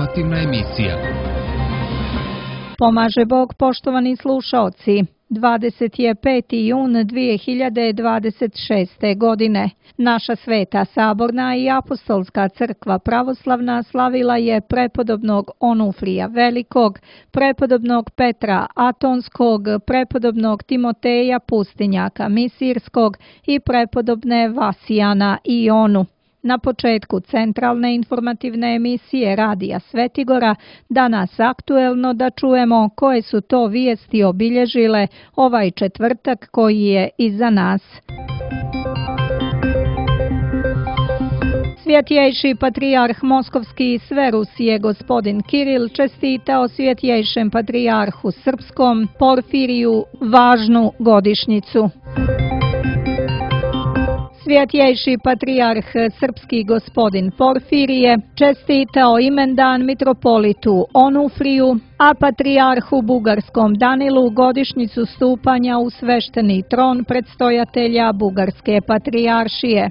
Informativna emisija. Pomaže Bog, poštovani slušaoci. 25. jun 2026. godine. Naša sveta saborna i apostolska crkva pravoslavna slavila je prepodobnog Onufrija Velikog, prepodobnog Petra Atonskog, prepodobnog Timoteja Pustinjaka Misirskog i prepodobne Vasijana i Ionu. Na početku centralne informativne emisije Radija Svetigora danas aktuelno da čujemo koje su to vijesti obilježile ovaj četvrtak koji je iza nas. Svjetjejši patrijarh Moskovski i sve Rusije gospodin Kiril čestitao svjetjejšem patrijarhu srpskom Porfiriju važnu godišnjicu. Svjetjejši patrijarh srpski gospodin Porfirije čestitao imendan mitropolitu Onufriju, a patrijarhu bugarskom Danilu godišnjicu stupanja u svešteni tron predstojatelja Bugarske patrijaršije.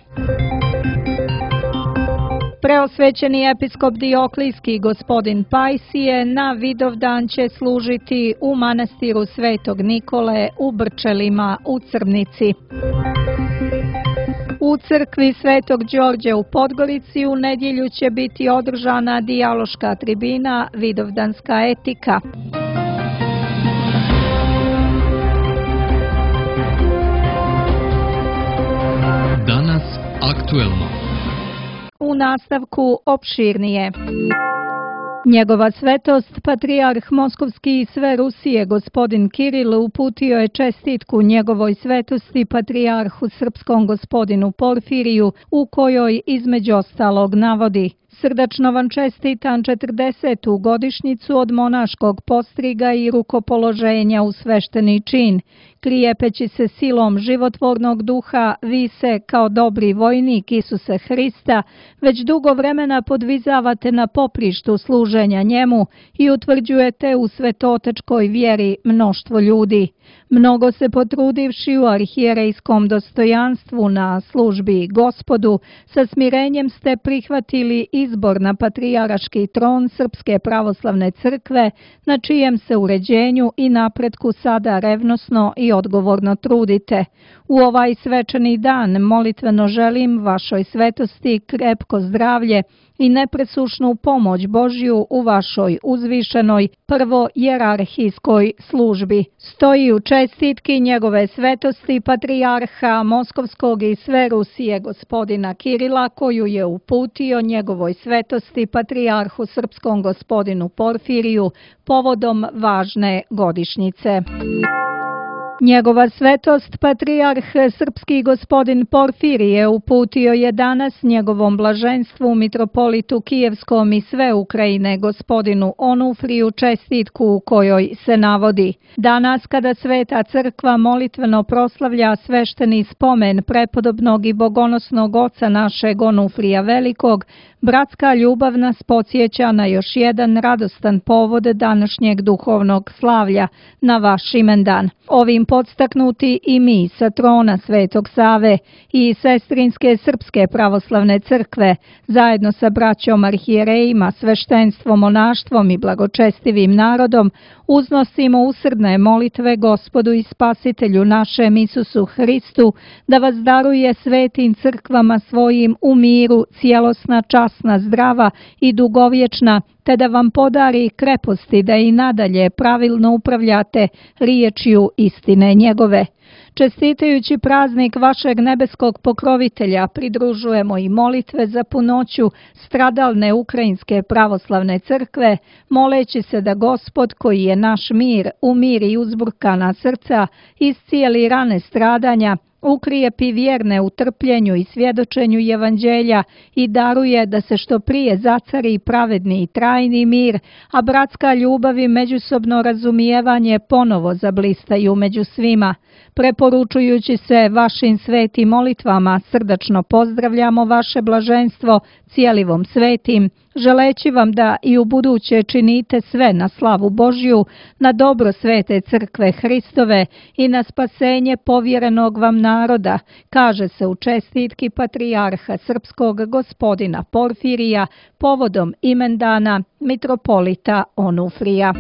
Preosvećeni episkop Dioklijski gospodin Pajsije na Vidovdan će služiti u manastiru Svetog Nikole u Brčelima u Crnici. U crkvi Svetog Đorđe u Podgorici u nedjelju će biti održana dijaloška tribina Vidovdanska etika. Danas aktuelno. U nastavku opširnije. Njegova svetost, patrijarh Moskovski i sve Rusije gospodin Kiril uputio je čestitku njegovoj svetosti patrijarhu srpskom gospodinu Porfiriju u kojoj između ostalog navodi: Srdačno vam čestitam 40. godišnjicu od monaškog postriga i rukopoloženja u svešteni čin. Krijepeći se silom životvornog duha, vi se, kao dobri vojnik Isuse Hrista, već dugo vremena podvizavate na poprištu služenja njemu i utvrđujete u svetotečkoj vjeri mnoštvo ljudi. Mnogo se potrudivši u arhijerejskom dostojanstvu na službi Gospodu, sa smirenjem ste prihvatili izbor na patrijaraški tron Srpske pravoslavne crkve, na čijem se uređenju i napretku sada revnosno i odgovorno trudite. U ovaj svečani dan molitveno želim vašoj svetosti krepko zdravlje i nepresušnu pomoć Božju u vašoj uzvišenoj prvo jerarhijskoj službi. Stoji u čestitki njegove svetosti patrijarha Moskovskog i sve Rusije gospodina Kirila, koju je uputio njegovoj svetosti patrijarhu srpskom gospodinu Porfiriju povodom važne godišnjice. Njegova svetost, patrijarh srpski gospodin Porfirije, uputio je danas njegovom blaženstvu mitropolitu Kijevskom i sve Ukrajine gospodinu Onufriju čestitku u kojoj se navodi: Danas kada Sveta crkva molitveno proslavlja svešteni spomen prepodobnog i bogonosnog oca našeg Onufrija Velikog, bratska ljubav nas podsjeća na još jedan radostan povod današnjeg duhovnog slavlja, na vaš imendan. Ovim podstaknuti i mi sa trona Svetog Save i sestrinske Srpske pravoslavne crkve, zajedno sa braćom arhijerejima, sveštenstvom, monaštvom i blagočestivim narodom, uznosimo usrdne molitve Gospodu i Spasitelju našem Isusu Hristu, da vas daruje svetim crkvama svojim u miru, cijelosna, časna, zdrava i dugovječna, te da vam podari kreposti da i nadalje pravilno upravljate riječju istine njegove. Čestitajući praznik vašeg nebeskog pokrovitelja, pridružujemo i molitve za punoću stradalne Ukrajinske pravoslavne crkve, moleći se da Gospod, koji je naš mir, umiri uzburkana srca, iscijeli rane stradanja, ukrijepi vjerne u trpljenju i svjedočenju evanđelja i daruje da se što prije zacari pravedni i trajni mir, a bratska ljubav i međusobno razumijevanje ponovo zablistaju među svima. Preporučujući se vašim svetim molitvama, srdačno pozdravljamo vaše blaženstvo cijelivom svetim, želeći vam da i u buduće činite sve na slavu Božju, na dobro Svete Crkve Hristove i na spasenje povjerenog vam naroda, kaže se u čestitki patrijarha srpskog gospodina Porfirija povodom imendana mitropolita Onufrija.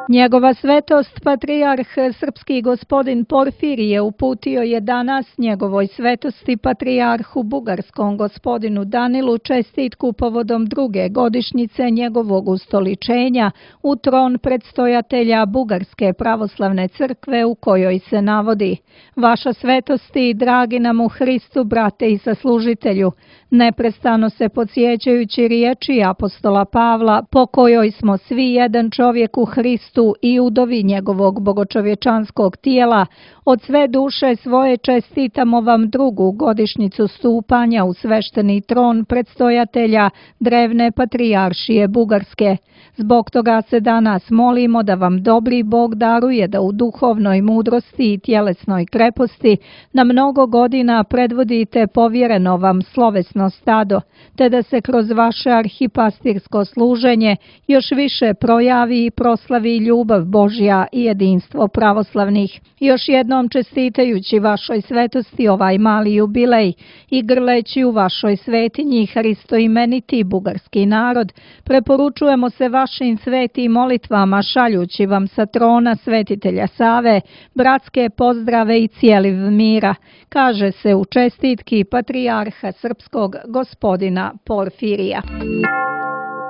Njegova svetost patrijarh srpski gospodin Porfirije uputio je danas njegovoj svetosti patrijarhu bugarskom gospodinu Danilu čestitku povodom druge godišnjice njegovog ustoličenja u tron predstojatelja Bugarske pravoslavne crkve u kojoj se navodi: Vaša svetosti, dragi nam u Hristu, brate i saslužitelju, neprestano se podsjećajući riječi apostola Pavla, po kojoj smo svi jedan čovjek u Hristu i udovi njegovog bogočovječanskog tijela, od sve duše svoje čestitamo vam drugu godišnjicu stupanja u svešteni tron predstojatelja drevne patrijaršije Bugarske. Zbog toga se danas molimo da vam dobri Bog daruje da u duhovnoj mudrosti i tjelesnoj kreposti na mnogo godina predvodite povjereno vam slovesno stado, te da se kroz vaše arhipastirsko služenje još više projavi i proslavi ljubav Božja i jedinstvo pravoslavnih. Još jednom čestitajući vašoj svetosti ovaj mali jubilej i grleći u vašoj svetinji hristoimeniti bugarski narod, preporučujemo se vašim svetim molitvama šaljući vam sa trona svetitelja Save bratske pozdrave i cijeliv mira, kaže se u čestitki patrijarha srpskog gospodina Porfirija.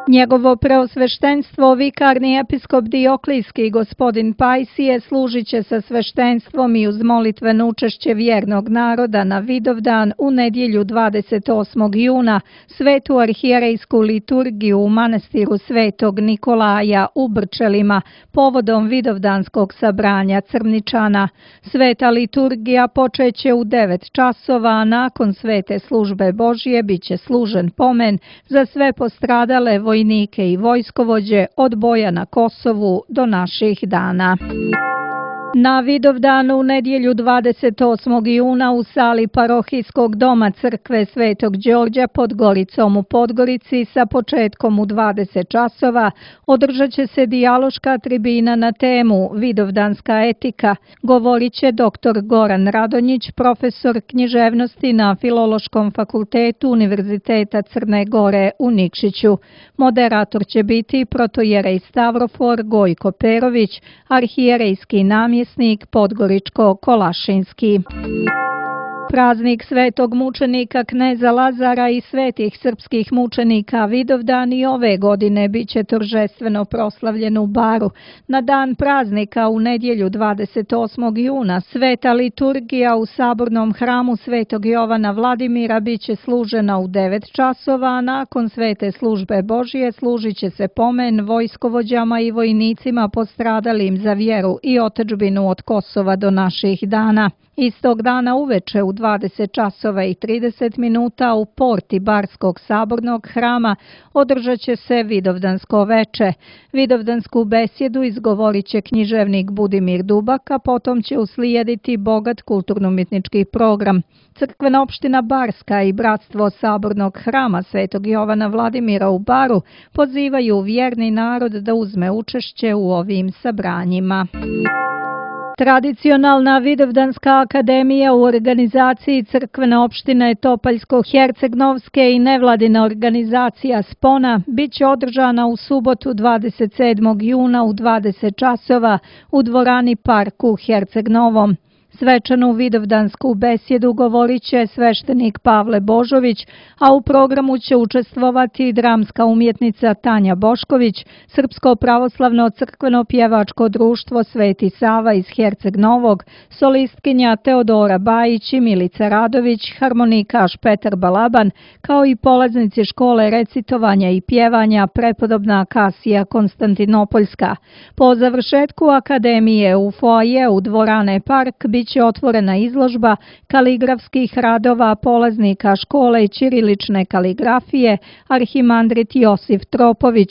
Njegovo preosveštenstvo vikarni episkop Dioklijski gospodin Pajsije služit će sa sveštenstvom i uz molitveno učešće vjernog naroda na Vidovdan u nedjelju 28. juna svetu arhijerejsku liturgiju u manastiru Svetog Nikolaja u Brčelima povodom Vidovdanskog sabranja Crničana. Sveta liturgija počeće u 9 časova, a nakon svete službe Božje bit će služen pomen za sve postradale vojnike i vojskovođe od boja na Kosovu do naših dana. Na Vidovdanu u nedjelju 28. juna u sali parohijskog doma crkve Svetog Đorđa pod Goricom u Podgorici sa početkom u 20 časova održat će se dijaloška tribina na temu Vidovdanska etika. Govorit će dr. Goran Radonjić, profesor književnosti na Filološkom fakultetu Univerziteta Crne Gore u Nikšiću. Moderator će biti protojerej Stavrofor Gojko Perović, arhijerejski namjesnik Podgoričko-Kolašinski. Praznik svetog mučenika kneza Lazara i svetih srpskih mučenika Vidovdan i ove godine bit će торжествено proslavljen u Baru. Na dan praznika u nedjelju 28. juna sveta liturgija u sabornom hramu Svetog Jovana Vladimira bit će služena u 9 časova, a nakon svete službe Božje služit će se pomen vojskovođama i vojnicima postradalim za vjeru i otadžbinu od Kosova do naših dana. Istog dana uveče u 20 časova i 30 minuta u porti Barskog sabornog hrama održat će se Vidovdansko veče. Vidovdansku besjedu izgovorit će književnik Budimir Dubak, a potom će uslijediti bogat kulturno-umjetnički program. Crkvena opština Barska i Bratstvo sabornog hrama Svetog Jovana Vladimira u Baru pozivaju vjerni narod da uzme učešće u ovim sabranjima. Tradicionalna Vidovdanska akademija u organizaciji crkvene opštine Topaljsko-Hercegnovske i nevladina organizacija Spona bit će održana u subotu 27. juna u 20 časova u dvorani Park u Herceg-Novom. Svečanu vidovdansku besjedu govorit će sveštenik Pavle Božović, a u programu će učestvovati dramska umjetnica Tanja Bošković, Srpsko pravoslavno crkveno pjevačko društvo Sveti Sava iz Herceg Novog, solistkinja Teodora Bajić i Milica Radović, harmonikaš Petar Balaban, kao i polaznici škole recitovanja i pjevanja prepodobna Kasija Konstantinopoljska. Po završetku akademije u foajeu dvorane Park bit će otvorena izložba kaligrafskih radova polaznika škole ćirilične kaligrafije Arhimandrit Josif Tropović.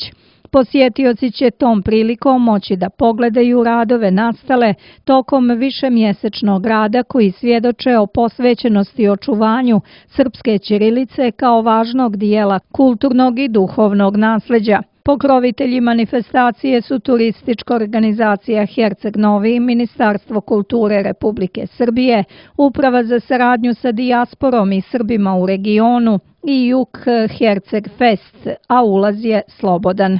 Posjetioci će tom prilikom moći da pogledaju radove nastale tokom višemjesečnog rada koji svjedoče o posvećenosti očuvanju srpske ćirilice kao važnog dijela kulturnog i duhovnog nasljeđa. Pokrovitelji manifestacije su turistička organizacija Herceg Novi, Ministarstvo kulture Republike Srbije, Uprava za saradnju sa dijasporom i Srbima u regionu, i Juk Herceg Fest, a ulaz je slobodan.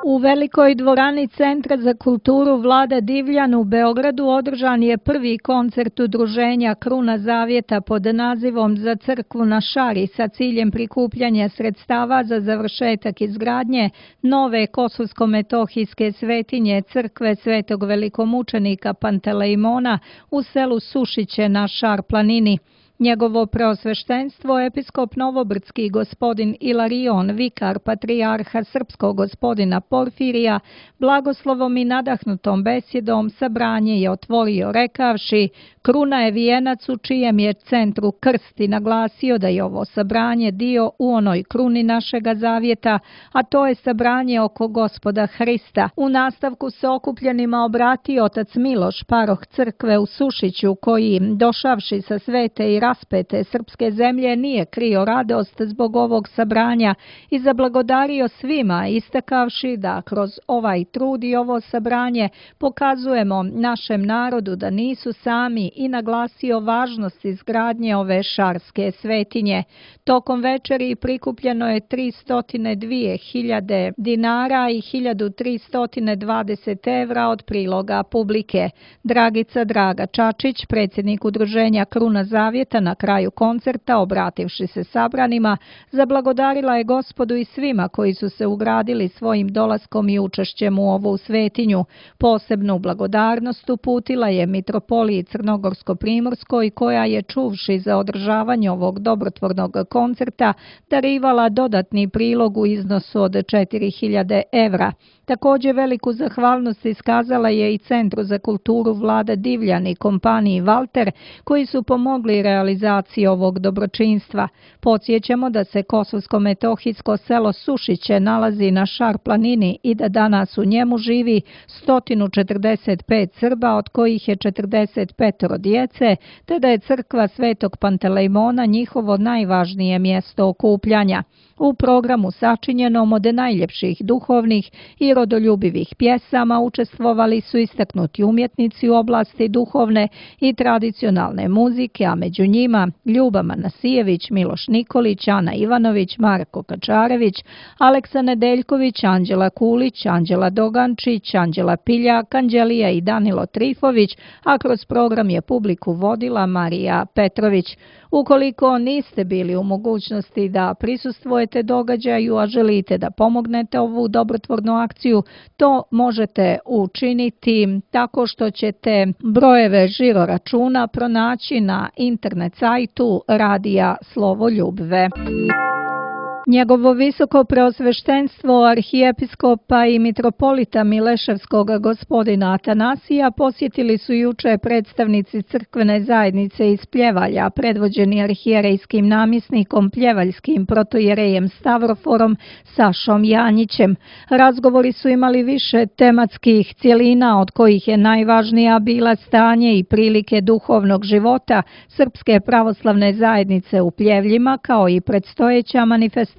U velikoj dvorani Centra za kulturu Vlada Divljan u Beogradu održan je prvi koncert udruženja Kruna Zavjeta pod nazivom Za crkvu na Šari sa ciljem prikupljanja sredstava za završetak izgradnje nove kosovsko-metohijske svetinje crkve Svetog velikomučenika Pantelejmona u selu Sušiće na Šar planini. Njegovo preosveštenstvo, episkop Novobrdski gospodin Ilarion, vikar patrijarha srpskog gospodina Porfirija, blagoslovom i nadahnutom besjedom sabranje je otvorio rekavši: Kruna je vijenac u čijem je centru krst i naglasio da je ovo sabranje dio u onoj kruni našega zavjeta, a to je sabranje oko Gospoda Hrista. U nastavku se okupljenima obratio otac Miloš, paroh crkve u Sušiću, koji, došavši sa svete i raspete srpske zemlje, nije krio radost zbog ovog sabranja i zablagodario svima, istakavši da kroz ovaj trud i ovo sabranje pokazujemo našem narodu da nisu sami i naglasio važnost izgradnje ove šarske svetinje. Tokom večeri prikupljeno je 302.000 dinara i 1.320 evra od priloga publike. Dragica Draga Čačić, predsjednik udruženja Kruna Zavjeta, na kraju koncerta, obrativši se sabranima, zablagodarila je Gospodu i svima koji su se ugradili svojim dolaskom i učešćem u ovu svetinju. Posebnu blagodarnost uputila je mitropoliji Crnogorsko-Primorskoj, koja je, čuvši za održavanje ovog dobrotvornog koncerta, darivala dodatni prilog u iznosu od 4.000 evra. Također veliku zahvalnost iskazala je i Centru za kulturu Vlada Divljan i kompaniji Valter, koji su pomogli realizaciji ovog dobročinstva. Podsjećamo da se kosovsko-metohijsko selo Sušiće nalazi na Šar planini i da danas u njemu živi 145 Srba, od kojih je 45 djece, te da je crkva Svetog Pantelejmona njihovo najvažnije mjesto okupljanja. U programu sačinjenom od najljepših duhovnih i rodoljubivih pjesama učestvovali su istaknuti umjetnici u oblasti duhovne i tradicionalne muzike, a među njima Ljuba Manasijević, Miloš Nikolić, Ana Ivanović, Marko Kačarević, Aleksa Nedeljković, Anđela Kulić, Anđela Dogančić, Anđela Piljak, Anđelija i Danilo Trifović, a kroz program je publiku vodila Marija Petrović. Ukoliko niste bili u mogućnosti da prisustvujete događaju, a želite da pomognete ovu dobrotvornu akciju, to možete učiniti tako što ćete brojeve žiro računa pronaći na internet sajtu Radija Slovo Ljubve. Njegovo visoko preosveštenstvo arhijepiskopa i mitropolita Mileševskog gospodina Atanasija posjetili su juče predstavnici crkvene zajednice iz Pljevalja, predvođeni arhijerejskim namjesnikom pljevaljskim protojerejem Stavroforom Sašom Janjićem. Razgovori su imali više tematskih cjelina, od kojih je najvažnija bila stanje i prilike duhovnog života Srpske pravoslavne zajednice u Pljevljima, kao i predstojeća manifestacija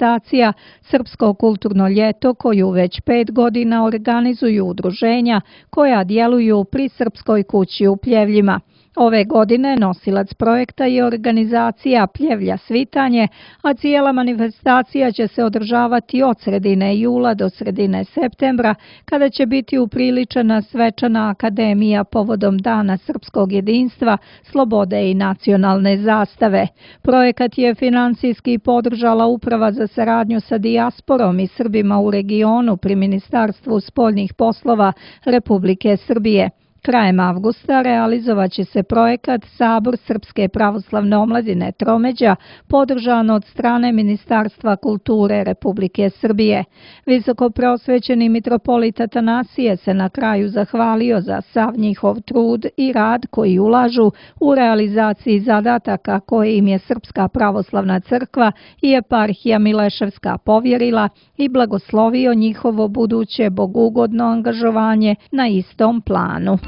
Srpsko kulturno ljeto, koju već 5 godina organizuju udruženja koja djeluju pri Srpskoj kući u Pljevljima. Ove godine nosilac projekta je organizacija Pljevlja Svitanje, a cijela manifestacija će se održavati od sredine jula do sredine septembra, kada će biti upriličena svečana akademija povodom Dana srpskog jedinstva, slobode i nacionalne zastave. Projekat je financijski podržala Uprava za saradnju sa dijasporom i Srbima u regionu pri Ministarstvu spoljnih poslova Republike Srbije. Krajem avgusta realizovat će se projekat Sabor Srpske pravoslavne omladine Tromeđa, podržan od strane Ministarstva kulture Republike Srbije. Visoko preosvećeni mitropolit Atanasije se na kraju zahvalio za sav njihov trud i rad koji ulažu u realizaciji zadataka koje im je Srpska pravoslavna crkva i eparhija Mileševska povjerila i blagoslovio njihovo buduće bogugodno angažovanje na istom planu.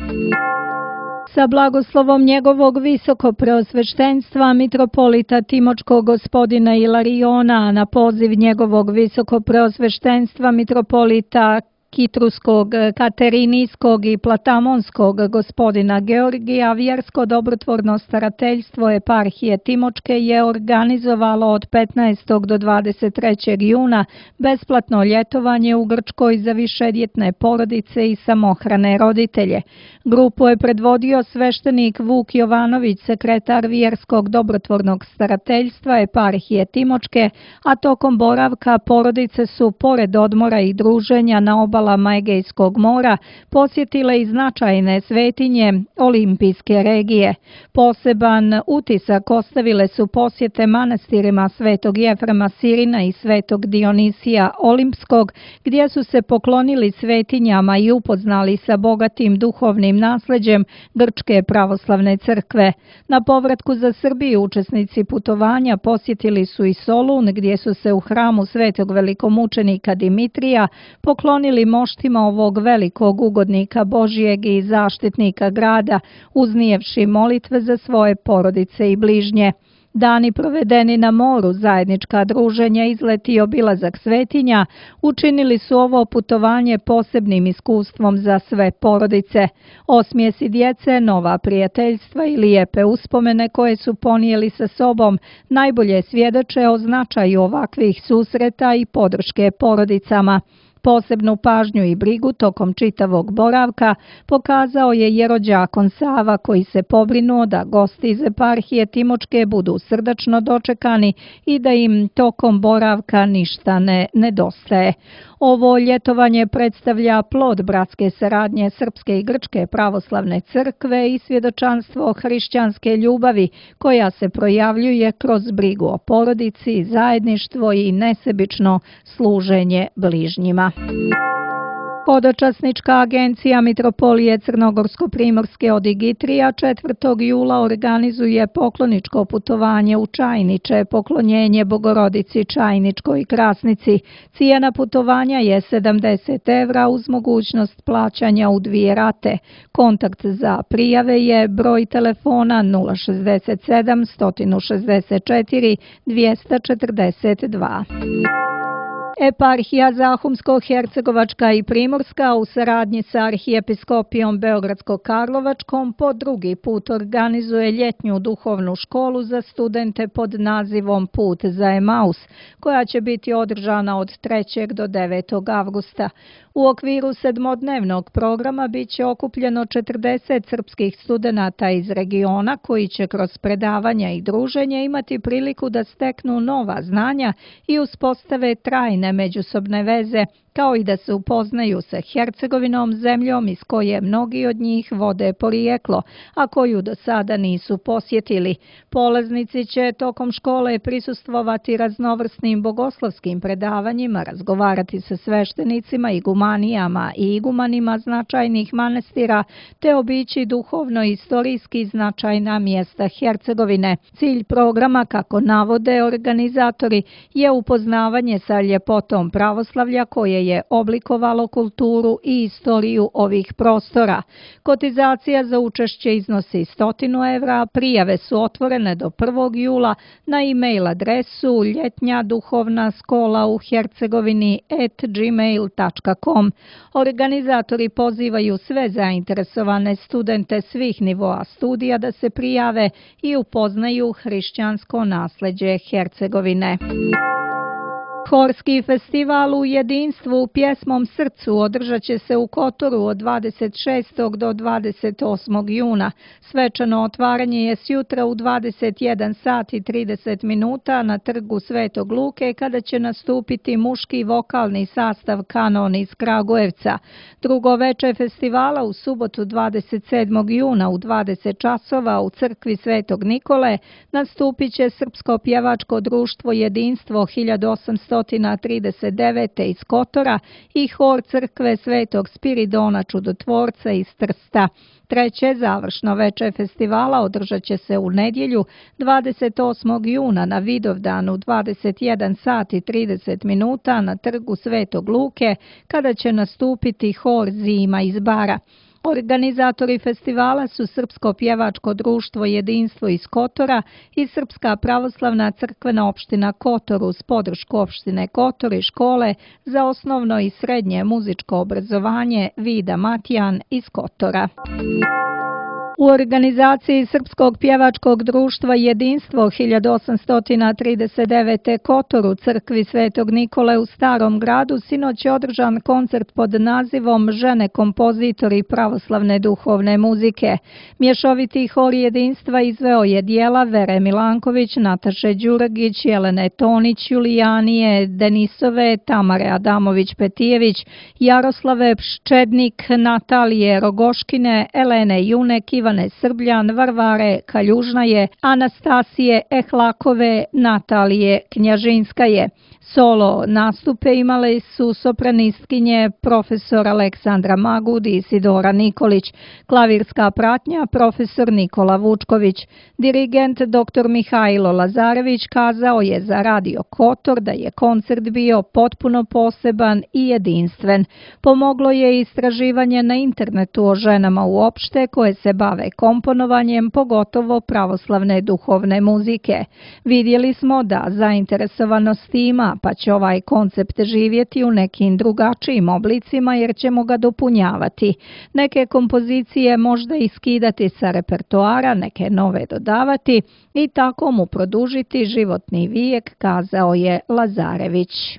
Sa blagoslovom njegovog visoko preosveštenstva mitropolita Timočkog gospodina Ilariona, na poziv njegovog visoko preosveštenstva mitropolita kitruskog, katerinijskog i platamonskog gospodina Georgija, vjersko dobrotvorno starateljstvo eparhije Timočke je organizovalo od 15. do 23. juna besplatno ljetovanje u Grčkoj za višedjetne porodice i samohrane roditelje. Grupu je predvodio sveštenik Vuk Jovanović, sekretar vjerskog dobrotvornog starateljstva eparhije Timočke, a tokom boravka porodice su, pored odmora i druženja na obalama Egejskog mora, posjetile i značajne svetinje olimpijske regije. Poseban utisak ostavile su posjete manastirima Svetog Jefrema Sirina i Svetog Dionisija Olimpskog, gdje su se poklonili svetinjama i upoznali sa bogatim duhovnim nasleđem Grčke pravoslavne crkve. Na povratku za Srbiju učesnici putovanja posjetili su i Solun, gdje su se u hramu Svetog velikomučenika Dimitrija poklonili moštima ovog velikog ugodnika Božijeg i zaštitnika grada, uznijevši molitve za svoje porodice i bližnje. Dani provedeni na moru, zajednička druženja, izleti i obilazak svetinja učinili su ovo putovanje posebnim iskustvom za sve porodice. Osmijesi djece, nova prijateljstva i lijepe uspomene koje su ponijeli sa sobom najbolje svjedoče o značaju ovakvih susreta i podrške porodicama. Posebnu pažnju i brigu tokom čitavog boravka pokazao je jerođakon Sava, koji se pobrinuo da gosti iz eparhije Timočke budu srdačno dočekani i da im tokom boravka ništa ne nedostaje. Ovo ljetovanje predstavlja plod bratske saradnje Srpske i Grčke pravoslavne crkve i svjedočanstvo hrišćanske ljubavi koja se projavljuje kroz brigu o porodici, zajedništvo i nesebično služenje bližnjima. Hodočasnička agencija Mitropolije Crnogorsko-Primorske od Igitrija 4. jula organizuje pokloničko putovanje u Čajniče, poklonjenje Bogorodici Čajničkoj Krasnici. Cijena putovanja je 70 evra uz mogućnost plaćanja u 2 rate. Kontakt za prijave je broj telefona 067 164 242. Eparhija Zahumsko-Hercegovačka i Primorska u saradnji sa Arhijepiskopijom Beogradsko-Karlovačkom po drugi put organizuje ljetnju duhovnu školu za studente pod nazivom Put za Emaus, koja će biti održana od 3. do 9. avgusta. U okviru 7-dnevnog programa bit će okupljeno 40 srpskih studenata iz regiona koji će kroz predavanja i druženje imati priliku da steknu nova znanja i uspostave trajne međusobne veze, kao i da se upoznaju sa Hercegovinom, zemljom iz koje mnogi od njih vode porijeklo, a koju do sada nisu posjetili. Polaznici će tokom škole prisustvovati raznovrsnim bogoslovskim predavanjima, razgovarati sa sveštenicima, igumanijama i igumanima značajnih manastira, te obići duhovno-istorijski značajna mjesta Hercegovine. Cilj programa, kako navode organizatori, je upoznavanje sa ljepotom pravoslavlja koje je oblikovalo kulturu i istoriju ovih prostora. Kotizacija za učešće iznosi 100 evra, prijave su otvorene do 1. jula na e-mail adresu ljetnjaduhovnaskola@gmail.com. Organizatori pozivaju sve zainteresovane studente svih nivoa studija da se prijave i upoznaju hrišćansko nasljeđe Hercegovine. Horski festival u jedinstvu u pjesmom srcu održat će se u Kotoru od 26. do 28. juna. Svečano otvaranje je sjutra u 21 sat i 30 minuta na trgu Svetog Luke, kada će nastupiti muški vokalni sastav Kanon iz Kragujevca. Drugo veče festivala u subotu 27. juna u 20 časova u crkvi Svetog Nikole nastupit će Srpsko pjevačko društvo Jedinstvo 1839. iz Kotora i hor crkve Svetog Spiridona Čudotvorca iz Trsta. Treće završno veče festivala održat će se u nedjelju 28. juna na Vidovdan u 21 sat i 30 minuta na trgu Svetog Luke, kada će nastupiti hor Zima iz Bara. Organizatori festivala su Srpsko pjevačko društvo Jedinstvo iz Kotora i Srpska pravoslavna crkvena opština Kotor uz podršku opštine Kotor i škole za osnovno i srednje muzičko obrazovanje Vida Matijan iz Kotora. U organizaciji Srpskog pjevačkog društva Jedinstvo 1839. Kotor u crkvi Svetog Nikole u Starom gradu sinoć je održan koncert pod nazivom Žene kompozitori pravoslavne duhovne muzike. Mješoviti hor Jedinstva izveo je dijela Vere Milanković, Nataše Đuragić, Jelene Tonić, Julijanije Denisove, Tamare Adamović-Petijević, Jaroslave Pščednik, Natalije Rogoškine, Elene Junek, Ivane Srbljan, Varvare Kaljužnaje, Anastasije Ehlakove, Natalije Knjažinskaje. Solo nastupe imale su sopranistkinje profesor Aleksandra Magud i Isidora Nikolić, klavirska pratnja profesor Nikola Vučković. Dirigent dr. Mihajlo Lazarević kazao je za Radio Kotor da je koncert bio potpuno poseban i jedinstven. Pomoglo je istraživanje na internetu o ženama uopšte koje se bave komponovanjem, pogotovo pravoslavne duhovne muzike. Vidjeli smo da zainteresovanost ima, pa će ovaj koncept živjeti u nekim drugačijim oblicima jer ćemo ga dopunjavati. Neke kompozicije možda iskidati sa repertoara, neke nove dodavati i tako mu produžiti životni vijek, kazao je Lazarević.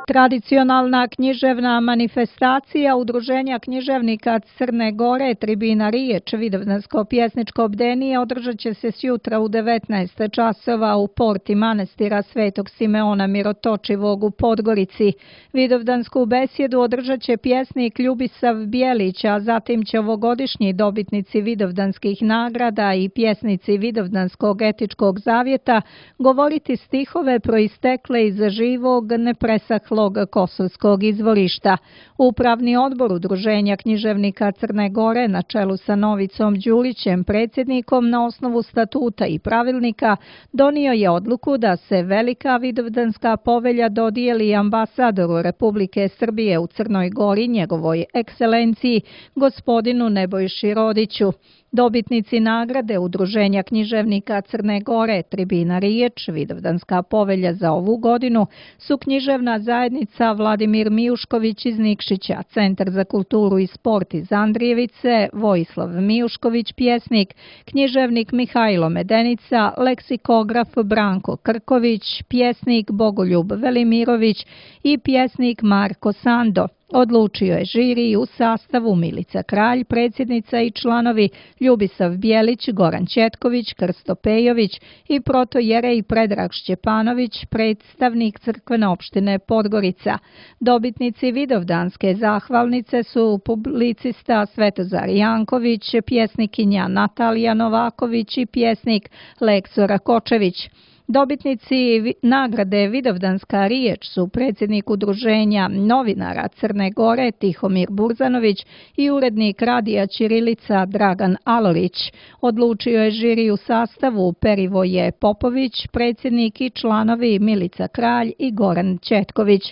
Tradicionalna književna manifestacija Udruženja književnika Crne Gore Tribina Riječ Vidovdansko pjesničko bdenije održat će se sjutra u 19 časova u porti manastira Svetog Simeona Mirotočivog u Podgorici. Vidovdansku besjedu održat će pjesnik Ljubisav Bjelić, a zatim će ovogodišnji dobitnici Vidovdanskih nagrada i pjesnici Vidovdanskog etičkog zavjeta govoriti stihove proistekle iz živog nepresahlog kosovskog izvorišta. Upravni odbor Udruženja književnika Crne Gore na čelu sa Novicom Đurićem, predsjednikom, na osnovu statuta i pravilnika donio je odluku da se Velika Vidovdanska povelja dodijeli ambasadoru Republike Srbije u Crnoj Gori, njegovoj ekscelenciji, gospodinu Nebojši Rodiću. Dobitnici nagrade Udruženja književnika Crne Gore Tribina Riječ Vidovdanska povelja za ovu godinu su književna zajednica Vladimir Mijušković iz Nikšića, Centar za kulturu i sport iz Andrijevice, Vojislav Mijušković pjesnik, književnik Mihajlo Medenica, leksikograf Branko Krković, pjesnik Bogoljub Velimirović i pjesnik Marko Sando. Odlučio je žiri u sastavu Milica Kralj, predsjednica i članovi Ljubisav Bjelić, Goran Četković, Krsto Pejović i protojerej Predrag Šćepanović, predstavnik crkvene opštine Podgorica. Dobitnici Vidovdanske zahvalnice su publicista Svetozar Janković, pjesnikinja Natalija Novaković i pjesnik Lekso Rakočević. Dobitnici nagrade Vidovdanska riječ su predsjednik Udruženja novinara Crne Gore Tihomir Burzanović i urednik radija Ćirilica Dragan Alolić. Odlučio je žiri u sastavu Perivoje Popović, predsjednik i članovi Milica Kralj i Goran Četković.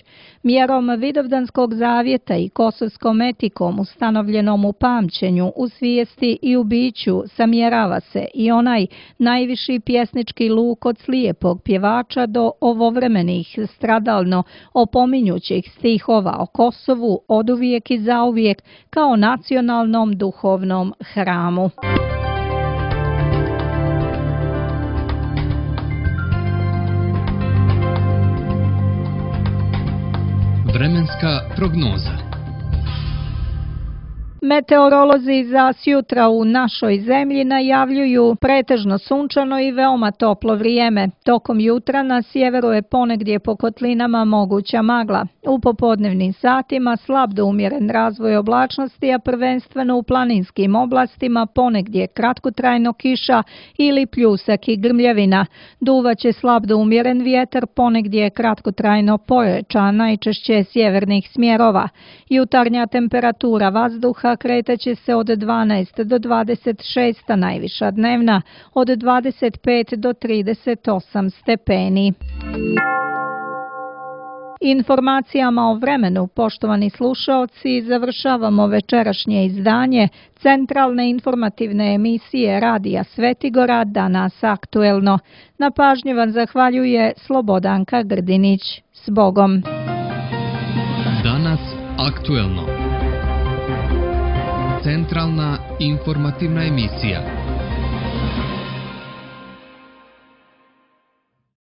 Mjerom Vidovdanskog zavjeta i kosovskom etikom ustanovljenom u pamćenju, u svijesti i u biću samjerava se i onaj najviši pjesnički luk od slijepog pjevača do ovovremenih stradalno opominjućih stihova o Kosovu oduvijek i zauvijek kao nacionalnom duhovnom hramu. Vremenska prognoza. Meteorolozi za sjutra u našoj zemlji najavljuju pretežno sunčano i veoma toplo vrijeme. Tokom jutra na sjeveru je ponegdje po kotlinama moguća magla. U popodnevnim satima slab do umjeren razvoj oblačnosti, a prvenstveno u planinskim oblastima ponegdje kratkotrajno kiša ili pljusak i grmljavina. Duvaće slab do umjeren vjetar, ponegdje kratkotrajno pojačan, najčešće sjevernih smjerova. Jutarnja temperatura vazduha kretaće se od 12 do 26, a najviša dnevna od 25 do 38 stepeni. Informacijama o vremenu, poštovani slušaoci, završavamo večerašnje izdanje centralne informativne emisije Radija Svetigora Danas aktuelno. Na pažnji vam zahvaljuje Slobodanka Grdinić. S Bogom! Danas aktuelno. Centralna informativna emisija.